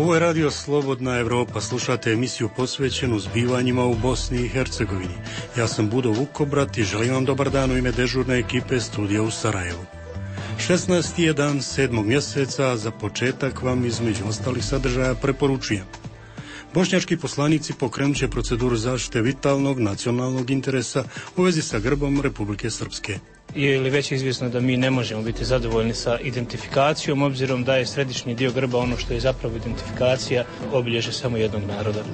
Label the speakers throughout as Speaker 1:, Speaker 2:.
Speaker 1: Ovo je Radio Slobodna Evropa, slušate emisiju posvećenu zbivanjima u Bosni i Hercegovini. Ja sam Budo Vukobrat i želim vam dobar dan u ime dežurne ekipe studija u Sarajevu. 16. je dan 7. mjeseca, za početak vam između ostalih sadržaja preporučujem. Bošnjački poslanici pokrenut će proceduru zaštite vitalnog nacionalnog interesa u vezi sa grbom Republike Srpske.
Speaker 2: Je li već izvjesno da mi ne možemo biti zadovoljni sa identifikacijom, obzirom da je središnji dio grba ono što je zapravo identifikacija, obilježje samo jednog naroda.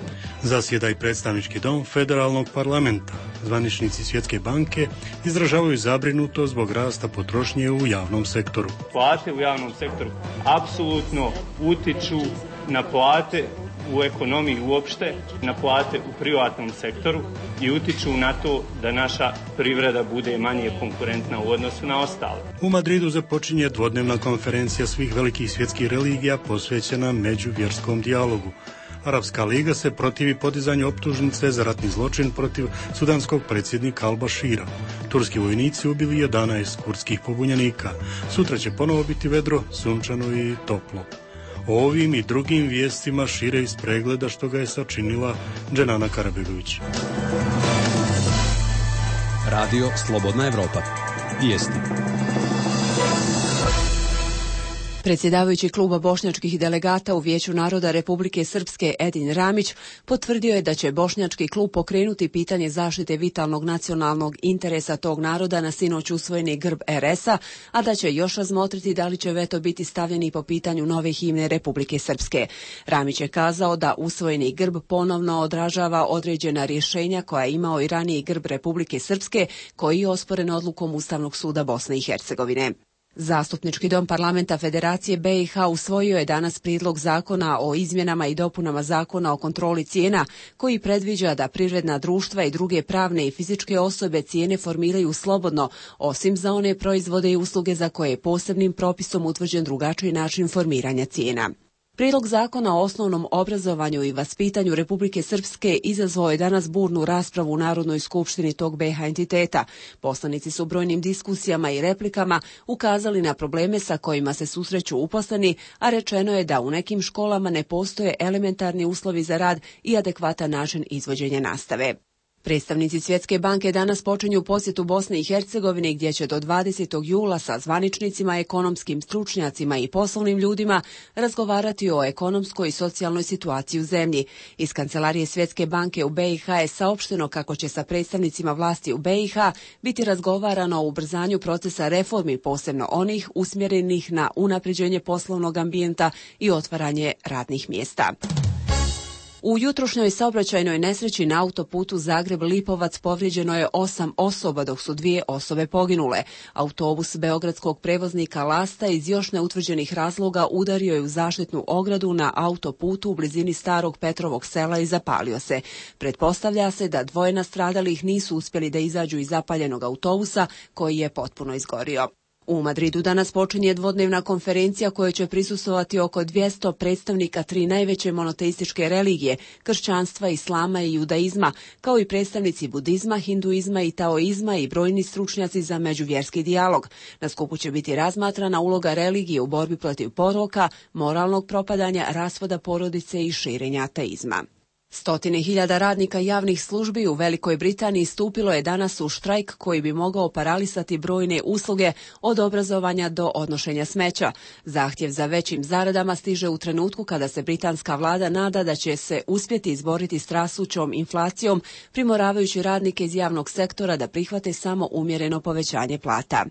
Speaker 1: Zasjeda i predstavnički dom federalnog parlamenta. Zvaničnici Svjetske banke izražavaju zabrinutost zbog rasta potrošnje u javnom sektoru.
Speaker 3: Plate u javnom sektoru apsolutno utiču na plate u ekonomiji uopšte, na plate u privatnom sektoru i utiču na to da naša privreda bude manje konkurentna u odnosu na ostale.
Speaker 1: U Madridu započinje dvodnevna konferencija svih velikih svjetskih religija posvećena međuvjerskom dijalogu. Arapska liga se protivi podizanju optužnice za ratni zločin protiv sudanskog predsjednika Al-Bashira. Turski vojnici ubili 11 kurdskih pobunjenika. Sutra će ponovo biti vedro, sunčano i toplo. O ovim i drugim vijestima šire iz pregleda što ga je sačinila Dženana Karabegović.
Speaker 4: Radio Slobodna Evropa. Vijesti.
Speaker 5: Predsjedavajući kluba bošnjačkih delegata u Vijeću naroda Republike Srpske Edin Ramić potvrdio je da će bošnjački klub pokrenuti pitanje zaštite vitalnog nacionalnog interesa tog naroda na sinoć usvojeni grb RS-a, a da će još razmotriti da li će veto biti stavljeni po pitanju nove himne Republike Srpske. Ramić je kazao da usvojeni grb ponovno odražava određena rješenja koja je imao i raniji grb Republike Srpske, koji je osporen odlukom Ustavnog suda Bosne i Hercegovine. Zastupnički dom parlamenta Federacije BiH usvojio je danas prijedlog zakona o izmjenama i dopunama zakona o kontroli cijena, koji predviđa da privredna društva i druge pravne i fizičke osobe cijene formiraju slobodno, osim za one proizvode i usluge za koje je posebnim propisom utvrđen drugačiji način formiranja cijena. Prijedlog zakona o osnovnom obrazovanju i vaspitanju Republike Srpske izazvao je danas burnu raspravu u Narodnoj skupštini tog BiH entiteta. Poslanici su brojnim diskusijama i replikama ukazali na probleme sa kojima se susreću uposleni, a rečeno je da u nekim školama ne postoje elementarni uslovi za rad i adekvatan način izvođenja nastave. Predstavnici Svjetske banke danas počinju posjetu Bosne i Hercegovine, gdje će do 20. jula sa zvaničnicima, ekonomskim stručnjacima i poslovnim ljudima razgovarati o ekonomskoj i socijalnoj situaciji u zemlji. Iz kancelarije Svjetske banke u BiH je saopšteno kako će sa predstavnicima vlasti u BiH biti razgovarano o ubrzanju procesa reformi, posebno onih usmjerenih na unapređenje poslovnog ambijenta i otvaranje radnih mjesta. U jutrošnjoj saobraćajnoj nesreći na autoputu Zagreb-Lipovac povrijeđeno je 8 osoba, dok su 2 osobe poginule. Autobus beogradskog prevoznika Lasta iz još neutvrđenih razloga udario je u zaštitnu ogradu na autoputu u blizini starog Petrovog sela i zapalio se. Pretpostavlja se da 2 nastradalih nisu uspjeli da izađu iz zapaljenog autobusa, koji je potpuno izgorio. U Madridu danas počinje dvodnevna konferencija kojoj će prisustvovati oko 200 predstavnika 3 najveće monoteističke religije, kršćanstva, islama i judaizma, kao i predstavnici budizma, hinduizma i taoizma i brojni stručnjaci za međuvjerski dijalog. Na skupu će biti razmatrana uloga religije u borbi protiv poroka, moralnog propadanja, rasvoda porodice i širenja ateizma. 100.000 radnika javnih službi u Velikoj Britaniji stupilo je danas u štrajk koji bi mogao paralisati brojne usluge od obrazovanja do odnošenja smeća. Zahtjev za većim zaradama stiže u trenutku kada se britanska vlada nada da će se uspjeti izboriti s rastućom inflacijom, primoravajući radnike iz javnog sektora da prihvate samo umjereno povećanje plata.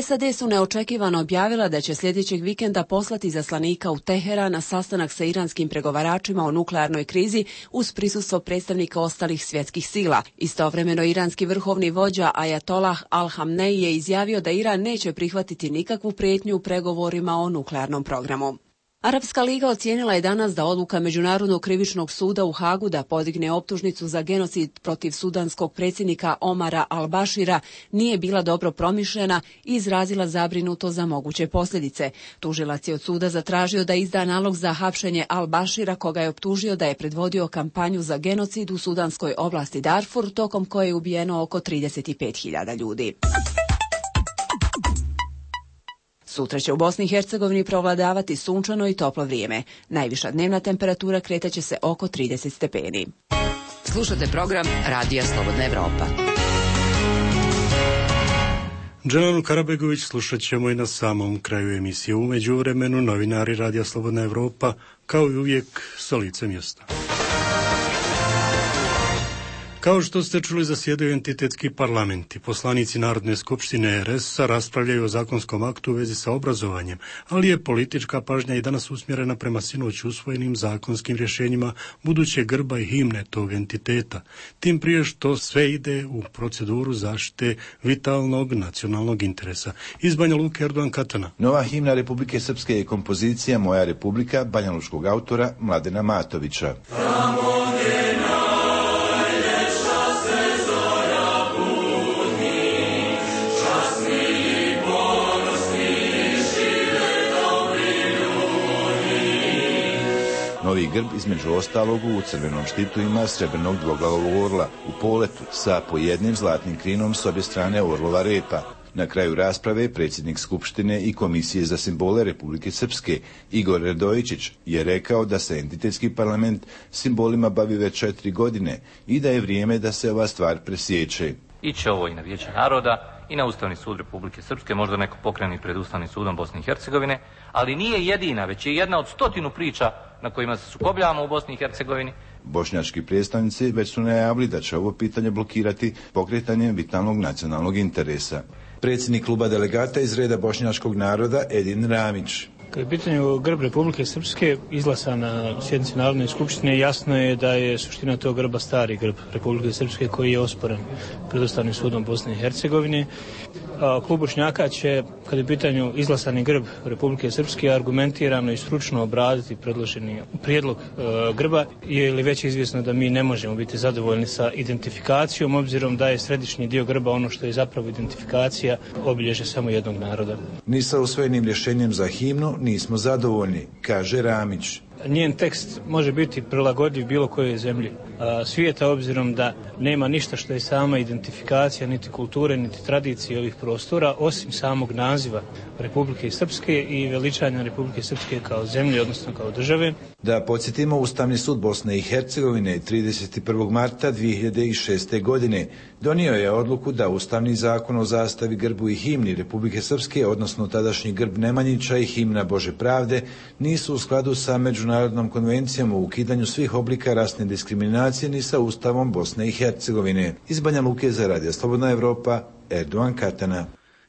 Speaker 5: SAD su neočekivano objavila da će sljedećeg vikenda poslati izaslanika u Teheran na sastanak sa iranskim pregovaračima o nuklearnoj krizi uz prisustvo predstavnika ostalih svjetskih sila. Istovremeno iranski vrhovni vođa Ajatollah Al-Hamnej je izjavio da Iran neće prihvatiti nikakvu prijetnju u pregovorima o nuklearnom programu. Arapska liga ocijenila je danas da odluka Međunarodnog krivičnog suda u Hagu da podigne optužnicu za genocid protiv sudanskog predsjednika Omara Al-Bashira nije bila dobro promišljena i izrazila zabrinuto za moguće posljedice. Tužilac je od suda zatražio da izda nalog za hapšenje Al-Bashira, koga je optužio da je predvodio kampanju za genocid u sudanskoj oblasti Darfur, tokom koje je ubijeno oko 35.000 ljudi. Sutra će u Bosni i Hercegovini prevladavati sunčano i toplo vrijeme. Najviša dnevna temperatura kretaće se oko 30 stepeni.
Speaker 6: Slušate program Radija Slobodna Evropa.
Speaker 1: Dželanu Karabegović slušat ćemo i na samom kraju emisije. U međuvremenu novinari Radija Slobodna Evropa, kao i uvijek, sa lice mjesta. Kao što ste čuli, zasjedaju entitetski parlamenti. Poslanici Narodne skupštine RS-a raspravljaju o zakonskom aktu u vezi sa obrazovanjem, ali je politička pažnja i danas usmjerena prema sinoć usvojenim zakonskim rješenjima budućeg grba i himne tog entiteta. Tim prije što sve ide u proceduru zaštite vitalnog nacionalnog interesa. Iz Banja Luke, Erdogan Katana.
Speaker 7: Nova himna Republike Srpske je kompozicija Moja Republika banjalučkog autora Mladena Matovića. Novi grb, između ostalog, u crvenom štitu ima srebrnog dvoglavog orla u poletu sa po jednim zlatnim krinom s obje strane orlova repa. Na kraju rasprave predsjednik Skupštine i Komisije za simbole Republike Srpske Igor Radojičić je rekao da se entitetski parlament simbolima bavi već 4 godine i da je vrijeme da se ova stvar presječe.
Speaker 8: Iće ovo i na Vijeće naroda i na Ustavni sud Republike Srpske, možda neko pokreni pred Ustavnim sudom Bosne i Hercegovine, ali nije jedina, već je jedna od 100 priča na kojima se sukobljavamo u Bosni i Hercegovini.
Speaker 7: Bošnjački predstavnici već su najavili da će ovo pitanje blokirati pokretanjem vitalnog nacionalnog interesa. Predsjednik kluba delegata iz reda bošnjačkog naroda Edin Ramić.
Speaker 2: Kad je pitanju grb Republike Srpske izglasan na sjednici Narodne skupštine, jasno je da je suština tog grba stari grb Republike Srpske koji je osporen pred Ustavnim sudom Bosne i Hercegovine. Klub Bošnjaka će, kad je u pitanju izglasani grb Republike Srpske, argumentirano i stručno obraditi predloženi prijedlog grba, je li već izvjesno da mi ne možemo biti zadovoljni sa identifikacijom, obzirom da je središnji dio grba ono što je zapravo identifikacija obilježe samo jednog naroda.
Speaker 7: Ni sa usvojenim rješenjem za himnu nismo zadovoljni, kaže Ramić.
Speaker 2: Njen tekst može biti prilagodljiv bilo kojoj zemlji svijeta, obzirom da nema ništa što je sama identifikacija niti kulture niti tradicije ovih prostora osim samog naziva Republike Srpske i veličanja Republike Srpske kao zemlje, odnosno kao države.
Speaker 7: Da podsjetimo, Ustavni sud Bosne i Hercegovine 31. marta 2006. godine donio je odluku da Ustavni zakon o zastavi, grbu i himni Republike Srpske, odnosno tadašnji grb Nemanjića i himna Bože pravde, nisu u skladu sa Međunarodnom konvencijom o ukidanju svih oblika rasne diskriminacije ni sa Ustavom Bosne i Hercegovine. Iz Banja Luke za Radio Slobodna Evropa, Erdogan Katana.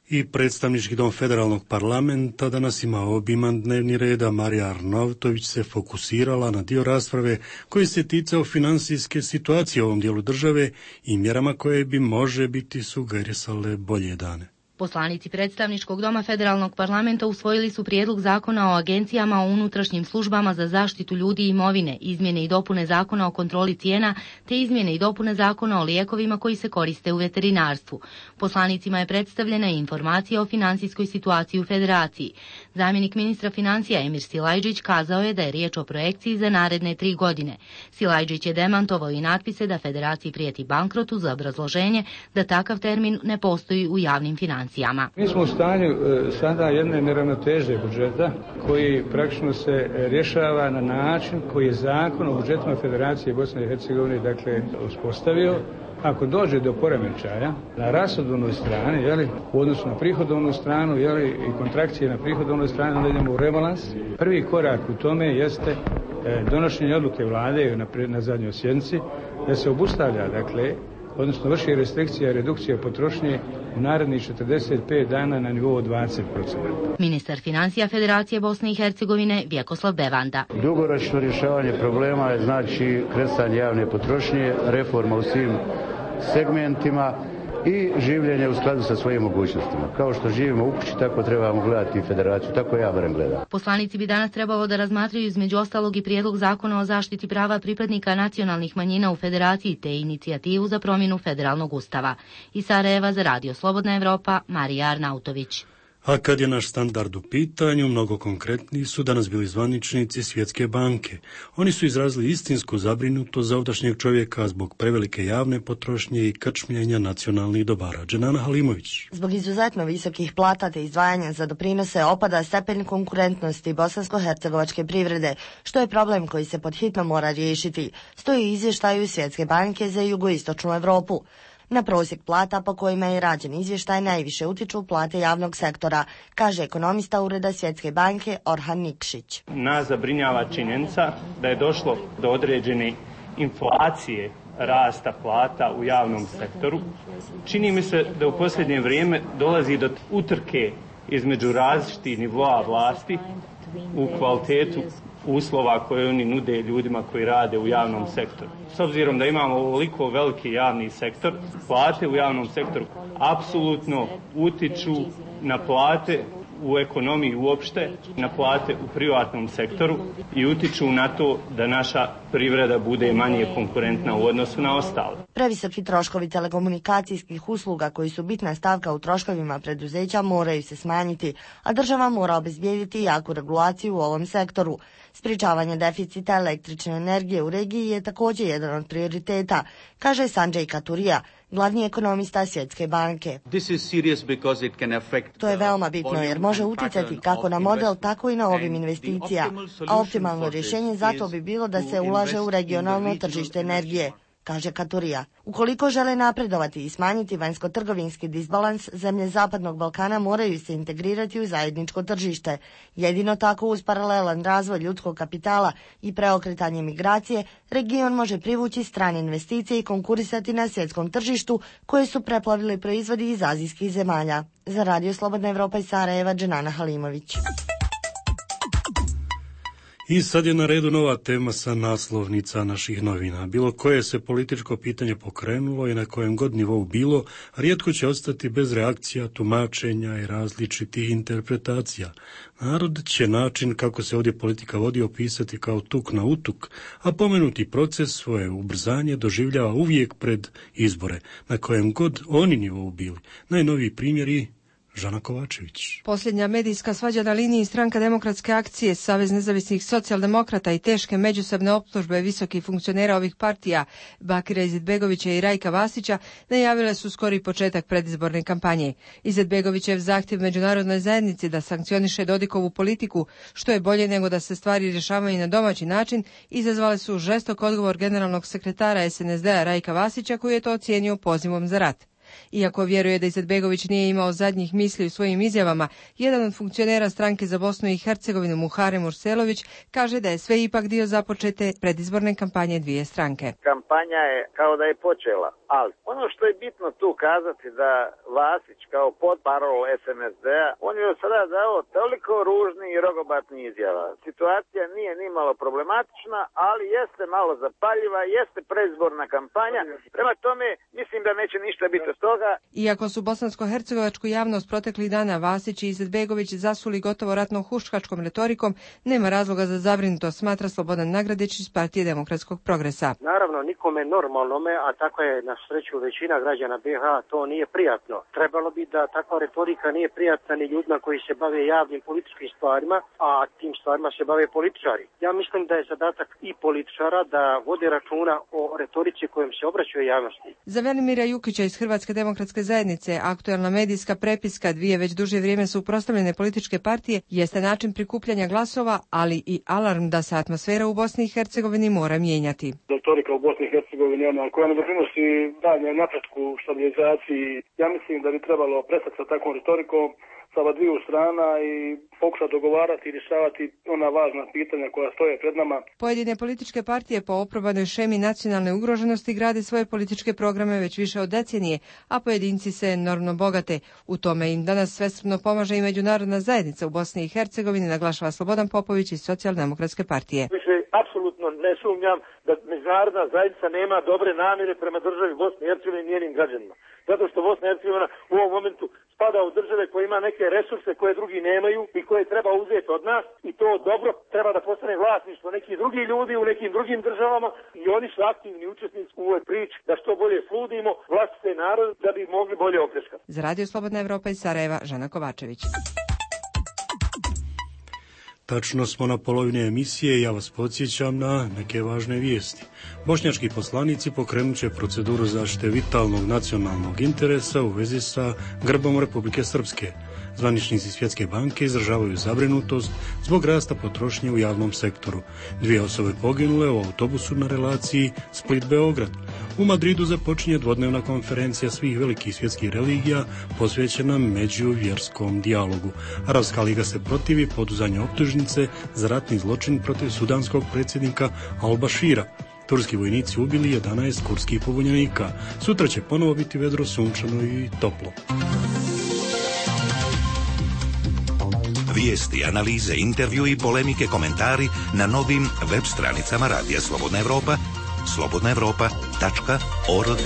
Speaker 1: I predstavnički dom federalnog parlamenta danas ima obiman dnevni red, a Marija Arnautović se fokusirala na dio rasprave koji se ticao financijske situacije u ovom dijelu države i mjerama koje bi može biti sugerisale bolje dane.
Speaker 9: Poslanici predstavničkog doma federalnog parlamenta usvojili su prijedlog zakona o agencijama o unutrašnjim službama za zaštitu ljudi i imovine, izmjene i dopune zakona o kontroli cijena, te izmjene i dopune zakona o lijekovima koji se koriste u veterinarstvu. Poslanicima je predstavljena i informacija o financijskoj situaciji u federaciji. Zamjenik ministra financija Emir Silajdžić kazao je da je riječ o projekciji za naredne 3 godine. Silajdžić je demantovao i natpise da federaciji prijeti bankrot uz obrazloženje da takav termin ne postoji u javnim financijama.
Speaker 10: Mi smo u stanju sada jedne neravnoteže budžeta koji praktično se rješava na način koji je zakon o budžetima Federacije Bosne i Hercegovine dakle uspostavio. Ako dođe do poremećaja na rashodovnoj strani, u odnosu na prihodovnu stranu, i kontrakcije na prihodovnoj strani, onda idemo u rebalans. Prvi korak u tome jeste donošenje odluke vlade na zadnjoj sjednici da se obustavlja, odnosno vrši restrikcija i redukcija potrošnje u narednih 45 dana na nivou 20%.
Speaker 9: Ministar financija Federacije Bosne i Hercegovine Vjekoslav Bevanda.
Speaker 11: Dugoročno rješavanje problema je znači kresanje javne potrošnje, reforma u svim segmentima i življenje u skladu sa svojim mogućnostima. Kao što živimo u kući, tako trebamo gledati i federaciju, tako ja barem gledam.
Speaker 9: Poslanici bi danas trebalo da razmatraju između ostalog i prijedlog zakona o zaštiti prava pripadnika nacionalnih manjina u federaciji te inicijativu za promjenu federalnog ustava. Iz Sarajeva za Radio Slobodna Evropa, Marija Arnautović.
Speaker 1: A kad je naš standard u pitanju, mnogo konkretniji su danas bili zvaničnici Svjetske banke. Oni su izrazili istinsku zabrinutost za ovdašnjeg čovjeka zbog prevelike javne potrošnje i krčmljenja nacionalnih dobara. Dženana Halimović.
Speaker 12: Zbog izuzetno visokih plata te izdvajanja za doprinose opada stepen konkurentnosti bosansko-hercegovačke privrede, što je problem koji se pod hitno mora riješiti, stoji u izvještaju Svjetske banke za jugoistočnu Europu. Na prosjek plata po kojima je rađen izvještaj najviše utiču plate javnog sektora, kaže ekonomista Ureda Svjetske banke Orhan Nikšić.
Speaker 3: Nas zabrinjava činjenica da je došlo do određene inflacije rasta plata u javnom sektoru. Čini mi se da u posljednje vrijeme dolazi do utrke između različitih nivoa vlasti u kvalitetu uslova koje oni nude ljudima koji rade u javnom sektoru. S obzirom da imamo ovoliko veliki javni sektor, plate u javnom sektoru apsolutno utiču na plate u ekonomiji uopšte, na plate u privatnom sektoru i utiču na to da naša privreda bude manje konkurentna u odnosu na ostale.
Speaker 12: Previsoki troškovi telekomunikacijskih usluga koji su bitna stavka u troškovima preduzeća moraju se smanjiti, a država mora obezbijediti jaku regulaciju u ovom sektoru. Sprječavanje deficita električne energije u regiji je također jedan od prioriteta, kaže Sanjay Katurija, glavni ekonomista Svjetske banke. To je veoma bitno jer može utjecati kako na model, tako i na obim investicija, a optimalno rješenje zato bi bilo da se ulaže u regionalno tržište energije, kaže Katurija. Ukoliko žele napredovati i smanjiti vanjsko-trgovinski disbalans, zemlje Zapadnog Balkana moraju se integrirati u zajedničko tržište. Jedino tako uz paralelan razvoj ljudskog kapitala i preokretanje migracije, region može privući strane investicije i konkurisati na svjetskom tržištu koje su preplavili proizvodi iz azijskih zemalja. Za Radio Slobodna Evropa iz Sarajeva, Dženana Halimović.
Speaker 1: I sad je na redu nova tema sa naslovnica naših novina. Bilo koje se političko pitanje pokrenulo i na kojem god nivou bilo, rijetko će ostati bez reakcija, tumačenja i različitih interpretacija. Narod će način kako se ovdje politika vodi opisati kao tuk na utuk, a pomenuti proces svoje ubrzanje doživljava uvijek pred izbore, na kojem god oni nivou bili. Najnoviji primjeri Žana Kovačević.
Speaker 13: Posljednja medijska svađa na liniji Stranka demokratske akcije, Savez nezavisnih socijaldemokrata i teške međusobne optužbe visokih funkcionera ovih partija, Bakira Izetbegovića i Rajka Vasića, najavile su skori početak predizborne kampanje. Izetbegovićev zahtjev međunarodnoj zajednici da sankcioniše Dodikovu politiku, što je bolje nego da se stvari rješavaju na domaći način, izazvale su žestok odgovor generalnog sekretara SNSD-a Rajka Vasića, koji je to ocijenio pozivom za rat. Iako vjeruje da Izetbegović nije imao zadnjih misli u svojim izjavama, jedan od funkcionera stranke za Bosnu i Hercegovinu, Muharem Urselović, kaže da je sve ipak dio započete predizborne kampanje dvije stranke.
Speaker 14: Kampanja je kao da je počela, ali ono što je bitno tu kazati da Vasić kao podparol SNSD-a, on je sada dao toliko ružnih i rogobatnih izjava. Situacija nije ni malo problematična, ali jeste malo zapaljiva, jeste predizborna kampanja. Prema tome, mislim da neće ništa biti toga.
Speaker 13: Iako su bosansko-hercegovačku javnost proteklih dana Vasić i Izetbegović zasuli gotovo ratno-huškačkom retorikom, nema razloga za zabrinutost, smatra Slobodan Nagradić iz Partije demokratskog progresa.
Speaker 15: Naravno, nikome normalnome, a tako je na sreću većina građana BiH, to nije prijatno. Trebalo bi da takva retorika nije prijatna ni ljudima koji se bave javnim političkim stvarima, a tim stvarima se bave političari. Ja mislim da je zadatak i političara da vode računa o retorici kojom se obraćaju javnosti.
Speaker 13: Za Velimira Jukića iz Hrvatske demokratske zajednice, aktualna medijska prepiska dvije već duže vrijeme suprotstavljene političke partije jeste način prikupljanja glasova, ali i alarm da se atmosfera u Bosni i Hercegovini mora mijenjati.
Speaker 16: Retorika u Bosni i Hercegovini, koja ne doprinosi dalje napretku, stabilizaciji, ja mislim da bi trebalo prestati sa takvom retorikom sa dviju strana i pokušati dogovarati i rješavati ona važna pitanja koja stoje pred nama.
Speaker 13: Pojedine političke partije po oprobanoj šemi nacionalne ugroženosti grade svoje političke programe već više od decenije, a pojedinci se enormno bogate. U tome im danas svesrdno pomaže i međunarodna zajednica u Bosni i Hercegovini, naglašava Slobodan Popović iz Socijaldemokratske partije.
Speaker 17: Više apsolutno ne sumnjam da međunarodna zajednica nema dobre namjere prema državi Bosne i Hercegovine i njenim građanima. Zato što Bosna i Hercegovina u ovom momentu spada u države koje ima neke resurse koje drugi nemaju i koje treba uzeti od nas i to dobro treba da postane vlasništvo nekih drugih ljudi u nekim drugim državama i oni su aktivni učesnici u ovoj priči da što bolje sludimo vlastite narod da bi mogli bolje opljačkati.
Speaker 13: Za Radio Slobodna Evropa iz Sarajeva, Žana Kovačević.
Speaker 1: Tačno smo na polovini emisije i ja vas podsjećam na neke važne vijesti. Bošnjački poslanici pokrenut će proceduru zaštite vitalnog nacionalnog interesa u vezi sa grbom Republike Srpske. Zvaničnici Svjetske banke izražavaju zabrinutost zbog rasta potrošnje u javnom sektoru. 2 osobe poginule u autobusu na relaciji Split-Beograd. U Madridu započinje dvodnevna konferencija svih velikih svjetskih religija posvećena međuvjerskom dijalogu. Arapska liga se protivi poduzanju optužnice za ratni zločin protiv sudanskog predsjednika Al-Bashira. Turski vojnici ubili 11 kurdskih pobunjenika. Sutra će ponovo biti vedro, sunčano i toplo.
Speaker 18: Vijesti, analize, intervju i polemike, komentari na novim web stranicama Radija Slobodna Evropa, slobodnaevropa.org.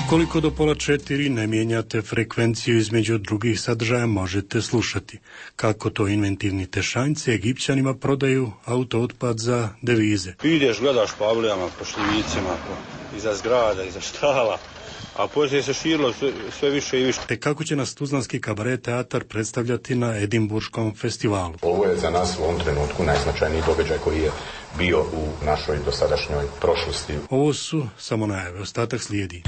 Speaker 1: Ukoliko do 3:30 ne mijenjate frekvenciju između drugih sadržaja, možete slušati kako to inventivni Tešanjci Egipćanima prodaju autootpad za devize.
Speaker 19: Ideš, gledaš po avlijama, po šljivicima, iza zgrada, iza štala, a poslije se širilo sve više i više.
Speaker 1: Te kako će nas tuzlanski kabaret teatar predstavljati na Edinburškom festivalu.
Speaker 20: Ovo je za nas u ovom trenutku najznačajniji događaj koji je bio u našoj dosadašnjoj prošlosti.
Speaker 1: Ovo su samo najave, ostatak slijedi.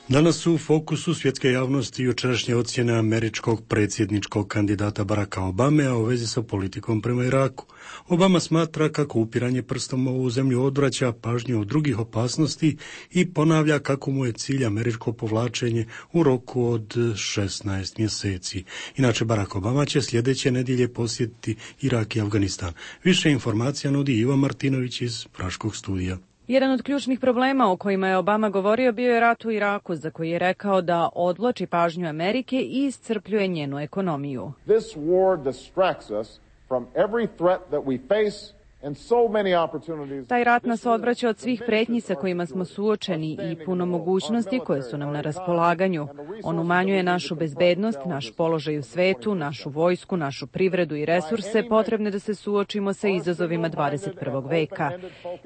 Speaker 1: Danas su u fokusu svjetske javnosti jučerašnje ocjene američkog predsjedničkog kandidata Baracka Obame, a u vezi sa politikom prema Iraku. Obama smatra kako upiranje prstom u ovu zemlju odvraća pažnju od drugih opasnosti i ponavlja kako mu je cilj američko povlačenje u roku od 16 mjeseci. Inače, Barack Obama će sljedeće nedjelje posjetiti Irak i Afganistan. Više informacija nudi Iva Martinović iz Praškog studija.
Speaker 21: Jedan od ključnih problema o kojima je Obama govorio bio je rat u Iraku, za koji je rekao da odvlači pažnju Amerike i iscrpljuje njenu ekonomiju.
Speaker 22: This war distracts us from every threat that we face.
Speaker 21: Taj rat nas odvraća od svih pretnji sa kojima smo suočeni i puno mogućnosti koje su nam na raspolaganju. On umanjuje našu bezbednost, naš položaj u svetu, našu vojsku, našu privredu i resurse potrebne da se suočimo sa izazovima 21. veka.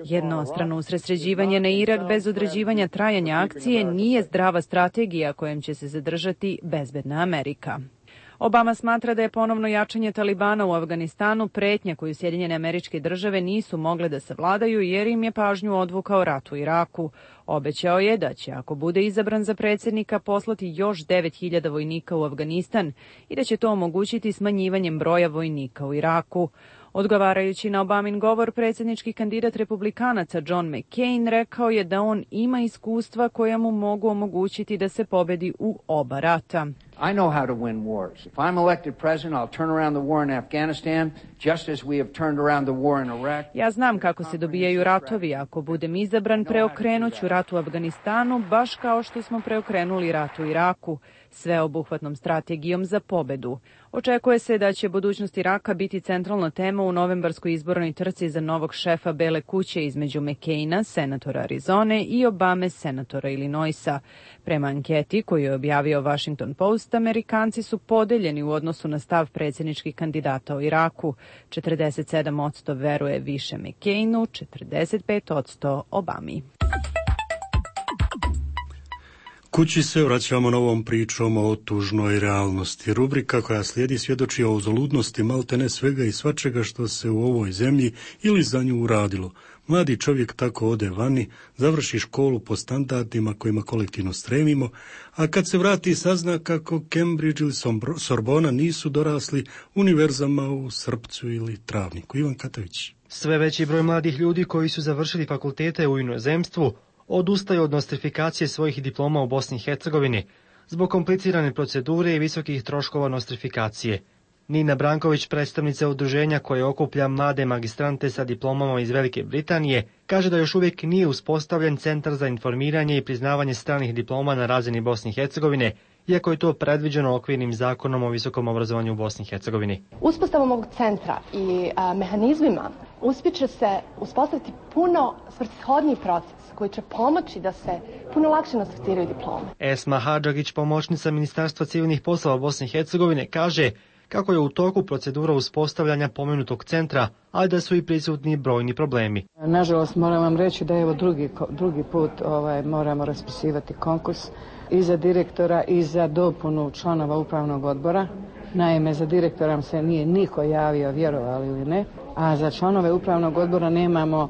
Speaker 21: Jednostrano usredsređivanje na Irak bez određivanja trajanja akcije nije zdrava strategija kojom će se zadržati bezbedna Amerika. Obama smatra da je ponovno jačanje Talibana u Afganistanu pretnja koju Sjedinjene Američke Države nisu mogle da savladaju jer im je pažnju odvukao rat u Iraku. Obećao je da će, ako bude izabran za predsjednika, poslati još 9.000 vojnika u Afganistan i da će to omogućiti smanjivanjem broja vojnika u Iraku. Odgovarajući na Obamin govor, predsjednički kandidat republikanaca John McCain rekao je da on ima iskustva koja mu mogu omogućiti da se pobedi u oba rata.
Speaker 23: I know how to win wars. If I'm elected president, I'll turn around the war in Afghanistan, just as we have turned around the war in Iraq.
Speaker 21: Ja znam kako se dobijaju ratovi. Ako budem izabran, preokrenut ću rat u Afganistanu, baš kao što smo preokrenuli rat u Iraku, sveobuhvatnom strategijom za pobedu. Očekuje se da će budućnost Iraka biti centralna tema u novembarskoj izbornoj trci za novog šefa Bele kuće između McCaina, senatora Arizone, i Obame, senatora Illinoisa. Prema anketi koju je objavio Washington Post, Amerikanci su podeljeni u odnosu na stav predsjedničkih kandidata o Iraku. 47% veruje više McCainu, 45% Obami.
Speaker 1: Kući se vraćamo novom pričom o tužnoj realnosti. Rubrika koja slijedi svjedoči o uzaludnosti maltene svega i svačega što se u ovoj zemlji ili za nju uradilo. Mladi čovjek tako ode vani, završi školu po standardima kojima kolektivno stremimo, a kad se vrati sazna kako Cambridge ili Sorbona nisu dorasli univerzama u Srpcu ili Travniku. Ivan Katavić.
Speaker 24: Sve veći broj mladih ljudi koji su završili fakultete u inozemstvu odustaju od nostrifikacije svojih diploma u Bosni i Hercegovini zbog komplicirane procedure i visokih troškova nostrifikacije. Nina Branković, predstavnica udruženja koje okuplja mlade magistrante sa diplomama iz Velike Britanije, kaže da još uvijek nije uspostavljen centar za informiranje i priznavanje stranih diploma na razini Bosne i Hercegovine, iako je to predviđeno okvirnim zakonom o visokom obrazovanju u Bosni i Hercegovini.
Speaker 25: Uspostavom ovog centra i mehanizmima uspjeće se uspostaviti puno svrsishodniji proces koji će pomoći da se puno lakše nostrificiraju diplome.
Speaker 24: Esma Hadžagić, pomoćnica Ministarstva civilnih poslova Bosne i Hercegovine, kaže kako je u toku procedura uspostavljanja pomenutog centra, ali da su i prisutni brojni problemi.
Speaker 2: Nažalost, moram vam reći da evo drugi put moramo raspisivati konkurs i za direktora i za dopunu članova upravnog odbora. Naime, za direktora se nije niko javio, vjerovali ili ne, a za članove upravnog odbora nemamo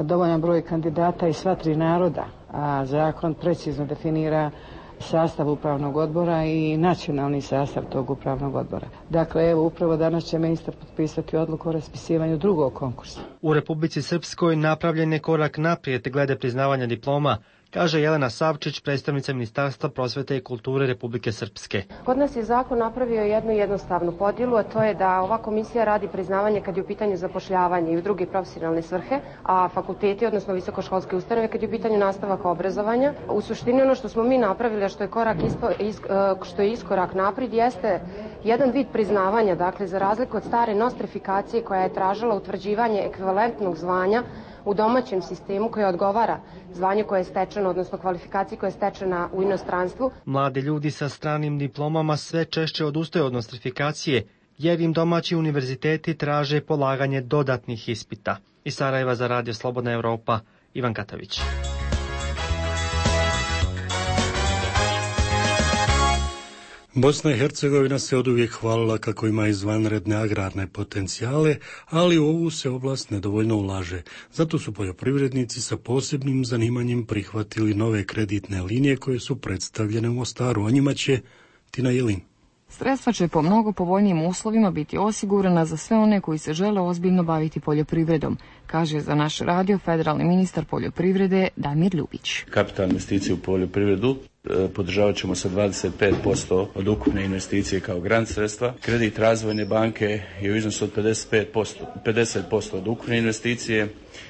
Speaker 2: dovoljan broj kandidata iz sva tri naroda, a zakon precizno definira sastav upravnog odbora i nacionalni sastav tog upravnog odbora. Dakle, evo, upravo danas će ministar potpisati odluku o raspisivanju drugog konkursa.
Speaker 24: U Republici Srpskoj napravljen je korak naprijed glede priznavanja diploma, kaže Jelena Savčić, predstavnica Ministarstva prosvete i kulture Republike Srpske.
Speaker 4: Kod nas je zakon napravio jednu jednostavnu podjelu, a to je da ova komisija radi priznavanje kad je u pitanju zapošljavanje i u druge profesionalne svrhe, a fakulteti, odnosno visokoškolske ustanove, kad je u pitanju nastavak obrazovanja. U suštini ono što smo mi napravili, a što je iskorak naprijed, jeste jedan vid priznavanja, dakle za razliku od stare nostrifikacije koja je tražila utvrđivanje ekvivalentnog zvanja u domaćem sistemu koje odgovara zvanju koje je stečeno, odnosno kvalifikaciji koja je stečena u inostranstvu.
Speaker 24: Mladi ljudi sa stranim diplomama sve češće odustaju od nostrifikacije, jer im domaći univerziteti traže polaganje dodatnih ispita. Iz Sarajeva za Radio Slobodna Evropa, Ivan Katavić.
Speaker 1: Bosna i Hercegovina se oduvijek hvalila kako ima izvanredne agrarne potencijale, ali u ovu se oblast nedovoljno ulaže. Zato su poljoprivrednici sa posebnim zanimanjem prihvatili nove kreditne linije koje su predstavljene u Mostaru. O njima će Tina Jelin.
Speaker 5: Sredstva će po mnogo povoljnijim uslovima biti osigurana za sve one koji se žele ozbiljno baviti poljoprivredom, kaže za naš radio federalni ministar poljoprivrede Damir Ljubić.
Speaker 6: Kapitalne investicije u poljoprivredu podržavat ćemo sa 25% od ukupne investicije kao grant sredstva. Kredit razvojne banke je u iznosu od 50% od ukupne investicije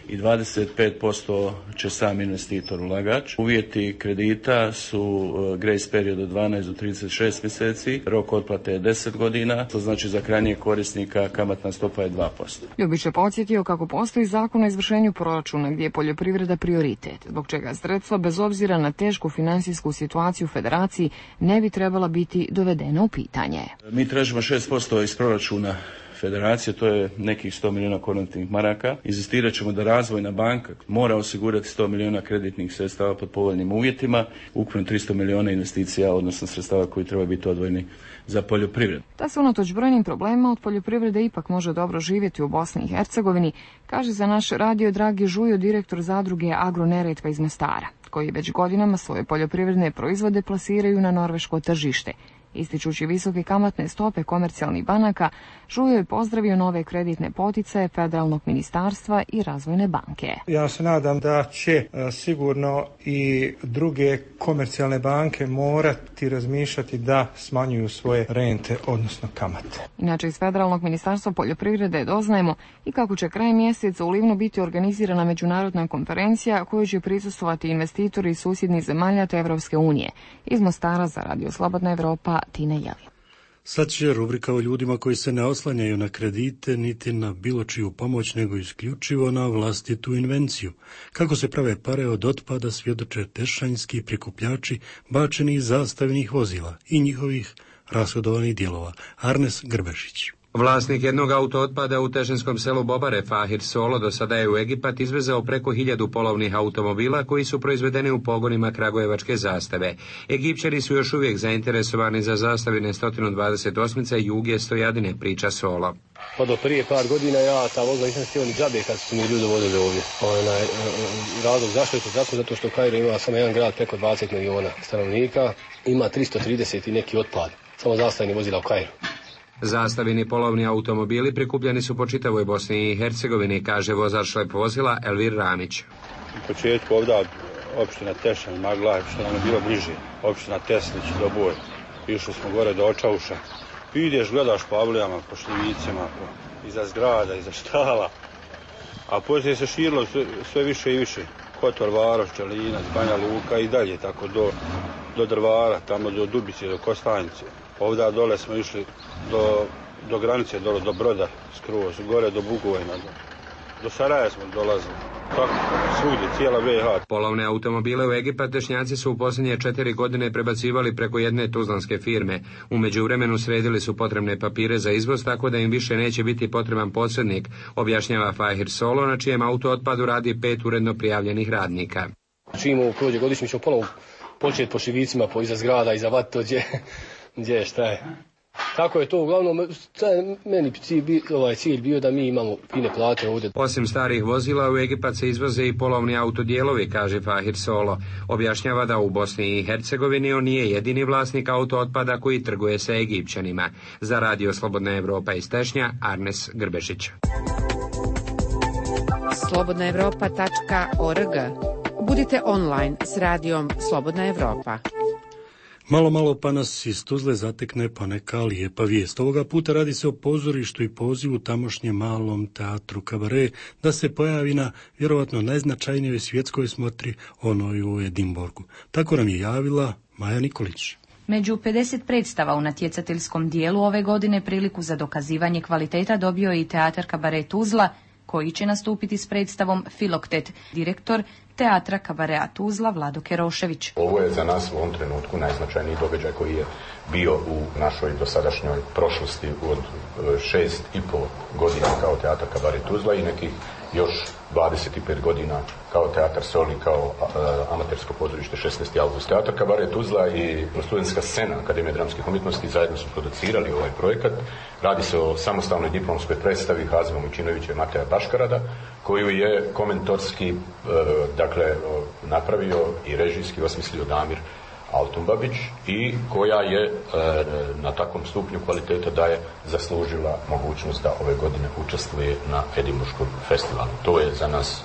Speaker 6: i 25% će sam investitor ulagač. Uvjeti kredita su grace period od 12 do 36 mjeseci, rok otplate je 10 godina, to znači za krajnjeg korisnika kamatna stopa je 2%.
Speaker 5: Ljubić je podsjetio kako postoji zakon o izvršenju proračuna gdje je poljoprivreda prioritet, zbog čega sredstva bez obzira na tešku financijsku situaciju u federaciji ne bi trebala biti dovedena u pitanje.
Speaker 6: Mi tražimo 6% iz proračuna federacije, to je nekih 100 milijuna konvertnih maraka. Inzistirat ćemo da razvojna banka mora osigurati 100 milijuna kreditnih sredstava pod povoljnim uvjetima, ukupno 300 milijuna investicija, odnosno sredstava koji treba biti odvojeni za poljoprivredu.
Speaker 5: Da se unatoč brojnim problema od poljoprivrede ipak može dobro živjeti u Bosni i Hercegovini, kaže za naš radio Dragi Žujo, direktor zadruge Agroneretva iz Mostara, koji već godinama svoje poljoprivredne proizvode plasiraju na norveško tržište. Ističući visoke kamatne stope komercijalnih banaka, Žujo je pozdravio nove kreditne poticaje Federalnog ministarstva i Razvojne banke.
Speaker 8: Ja se nadam da će sigurno i druge komercijalne banke morati razmišljati da smanjuju svoje rente, odnosno kamate.
Speaker 5: Inače, iz Federalnog ministarstva poljoprivrede doznajemo i kako će krajem mjeseca u Livnu biti organizirana međunarodna konferencija koju će prisustvovati investitori iz susjednih zemalja te Evropske unije. Iz Mostara za Radio Slobodna Evropa, Tina Jelin.
Speaker 1: Sad će rubrika o ljudima koji se ne oslanjaju na kredite niti na bilo čiju pomoć, nego isključivo na vlastitu invenciju. Kako se prave pare od otpada svjedoče tešanjski prikupljači bačenih zastavnih vozila i njihovih rashodovanih dijelova. Arnes Grbešić.
Speaker 26: Vlasnik jednog auto otpada u tešinskom selu Bobare, Fahir Solo, do sada je u Egipat izvezao preko 1000 polovnih automobila koji su proizvedeni u pogonima kragujevačke zastave. Egipćani su još uvijek zainteresovani za zastavine 128 Juge Stojadine, priča Solo.
Speaker 27: Pa do prije par godina ja ta vozila nisam htio ni džabe kad su mi ljudi vodili ovdje. Razlog zašto je to tako? Zato što Kairo ima samo jedan grad preko 20 miliona stanovnika, ima 330 i neki otpad, samo zastavni vozila u Kairu.
Speaker 26: Zastavini polovni automobili prikupljeni su po čitavoj Bosni i Hercegovini, kaže vozač šlep vozila Elvir Ramić.
Speaker 19: U početku ovdje opština Tešanj, Maglaj, što nam je bilo bliže, opština Teslić, Doboj. Išli smo gore do Očauša. Ideš, gledaš po avlijama, po šljivicima, iza zgrada, iza štala. A poslije se širilo sve više i više. Kotor, Varoš, Čelinac, Banja Luka i dalje, tako do Drvara, tamo do Dubice, do Kostanjice. Ovdje dole smo išli do granice, do Broda, skroz, gore do Bugojna, do Saraja smo dolazili. Tako, svugdje, cijela BiH.
Speaker 26: Polovne automobile u Egipat Tešnjaci su u posljednje 4 godine prebacivali preko jedne tuzlanske firme. U međuvremenu sredili su potrebne papire za izvoz, tako da im više neće biti potreban posrednik, objašnjava Fahir Solo, na čijem auto otpadu radi 5 uredno prijavljenih radnika.
Speaker 27: Čim prođe godišnji, ćemo ponovo početi po šivicima, iza zgrada, iza vat, to gdje šta je. Tako je to, uglavnom, meni cilj bio da mi imamo fine plate ovdje.
Speaker 26: Osim starih vozila, u Egipat se izvoze i polovni autodijelovi, kaže Fahir Solo. Objašnjava da u Bosni i Hercegovini on nije jedini vlasnik auto otpada koji trguje sa Egipćanima. Za Radio Slobodna Evropa iz Tešnja, Arnes Grbešić.
Speaker 3: slobodnaevropa.org. Budite online s radijom Slobodna Evropa.
Speaker 1: Malo pa nas iz Tuzle zatekne pa neka lijepa vijest. Ovoga puta radi se o pozorištu i pozivu tamošnjem malom teatru Kabare da se pojavi na vjerovatno najznačajnijoj svjetskoj smotri, onoj u Edinburgu. Tako nam je javila Maja Nikolić.
Speaker 7: Među 50 predstava u natjecateljskom dijelu ove godine priliku za dokazivanje kvaliteta dobio je i teatar Kabare Tuzla, koji će nastupiti s predstavom Filoktet, direktor teatra Kabarea Tuzla Vlado Kerošević.
Speaker 20: Ovo je za nas u ovom trenutku najznačajniji događaj koji je bio u našoj dosadašnjoj prošlosti od 6,5 godina kao teatar Kabare Tuzla i nekih još 25 godina kao teatar Soli, kao amatersko pozorište 16. avgust. Teatar Kabare Tuzla i studentska scena Akademije dramskih umjetnosti zajedno su producirali ovaj projekat. Radi se o samostalnoj diplomskoj predstavi Hazima Mujčinovića i Mateja Baškarada, koju je komentorski napravio i režijski osmislio Damir Altumbabić i koja je na takvom stupnju kvaliteta da je zaslužila mogućnost da ove godine učestvuje na Edinburškom festivalu. To je za nas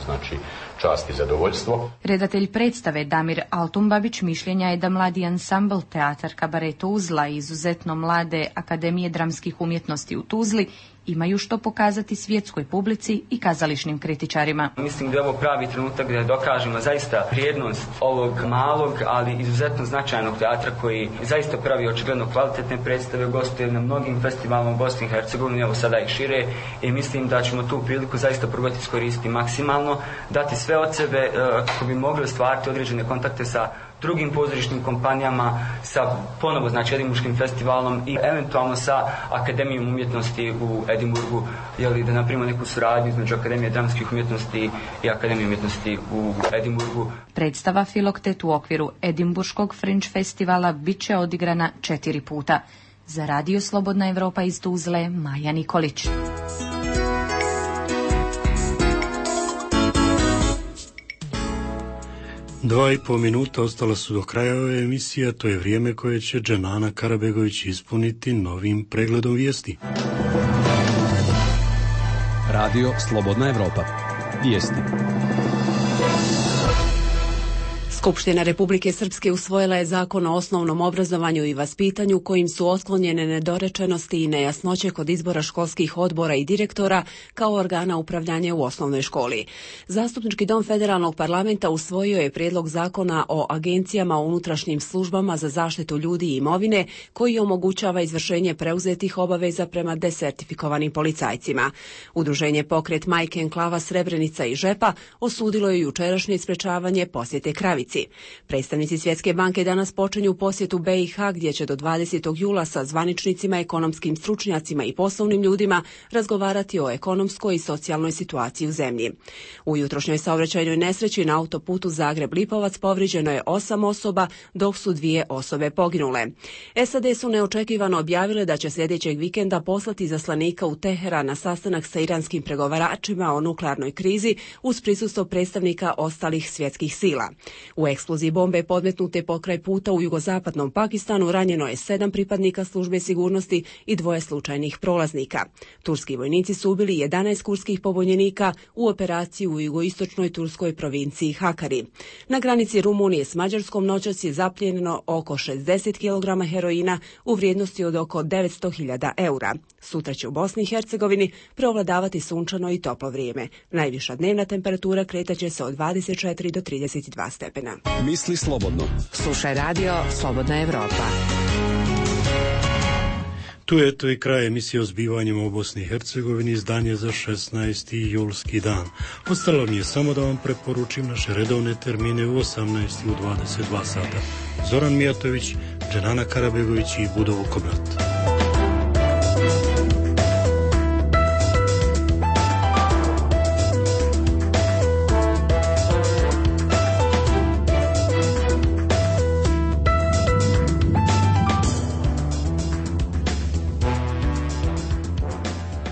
Speaker 20: čast i zadovoljstvo.
Speaker 7: Redatelj predstave Damir Altumbabić mišljenja je da mladi ansambl teatar Kabare Tuzla i izuzetno mlade Akademije dramskih umjetnosti u Tuzli imaju što pokazati svjetskoj publici i kazališnim kritičarima.
Speaker 9: Mislim da je ovo pravi trenutak da dokažemo zaista vrijednost ovog malog, ali izuzetno značajnog teatra koji zaista pravi očigledno kvalitetne predstave, gostuje na mnogim festivalima u Bosni i Hercegovini, evo sada ih šire, i mislim da ćemo tu priliku zaista probati iskoristiti maksimalno, dati sve od sebe kako bi mogli ostvariti određene kontakte sa drugim pozorišnim kompanijama, sa ponovo Edinburškim festivalom i eventualno sa Akademijom umjetnosti u Edinburgu, da napravimo neku suradnju između Akademije dramskih umjetnosti i Akademije umjetnosti u Edinburgu.
Speaker 7: Predstava Filoktet u okviru Edinburškog Fringe festivala bit će odigrana 4 puta. Za Radio Slobodna Evropa iz Tuzle, Maja Nikolić.
Speaker 1: Dva i pol minuta ostala su do kraja ove emisije, a to je vrijeme koje će Dženana Karabegović ispuniti novim pregledom vijesti.
Speaker 10: Radio Slobodna Evropa. Vijesti.
Speaker 11: Skupština Republike Srpske usvojila je Zakon o osnovnom obrazovanju i vaspitanju kojim su otklonjene nedorečenosti i nejasnoće kod izbora školskih odbora i direktora kao organa upravljanja u osnovnoj školi. Zastupnički dom Federalnog parlamenta usvojio je prijedlog Zakona o agencijama o unutrašnjim službama za zaštitu ljudi i imovine koji omogućava izvršenje preuzetih obaveza prema desertifikovanim policajcima. Udruženje Pokret Majke Enklava Srebrenica i Žepa osudilo je jučerašnje sprečavanje posjete Kravici. Predstavnici Svjetske banke danas počinju posjetu BiH gdje će do 20. jula sa zvaničnicima, ekonomskim stručnjacima i poslovnim ljudima razgovarati o ekonomskoj i socijalnoj situaciji u zemlji. U jutrošnjoj saobraćajnoj nesreći na autoputu Zagreb-Lipovac povrijeđeno je 8 osoba, dok su 2 osobe poginule. SAD su neočekivano objavile da će sljedećeg vikenda poslati izaslanika u Teheran na sastanak sa iranskim pregovaračima o nuklearnoj krizi uz prisustvo predstavnika ostalih svjetskih sila. U eksploziji bombe podmetnute pokraj puta u jugozapadnom Pakistanu ranjeno je 7 pripadnika službe sigurnosti i 2 slučajnih prolaznika. Turski vojnici su ubili 11 kurdskih pobunjenika u operaciji u jugoistočnoj turskoj provinciji Hakari. Na granici Rumunije s Mađarskom noćas je zaplijenjeno oko 60 kg heroina u vrijednosti od oko 900.000 eura. Sutra će u Bosni i Hercegovini preovladavati sunčano i toplo vrijeme. Najviša dnevna temperatura kretaće se od 24 do 32 stepena.
Speaker 10: Misli slobodno.
Speaker 3: Slušaj Radio Slobodna Evropa.
Speaker 1: Tu je to i kraj emisije o zbivanjima u Bosni i Hercegovini, izdanje za 16. julski dan. Ostalo mi je samo da vam preporučim naše redovne termine u 18. i u 22 sata. Zoran Mijatović, Dženana Karabegović i Budovo Komrat.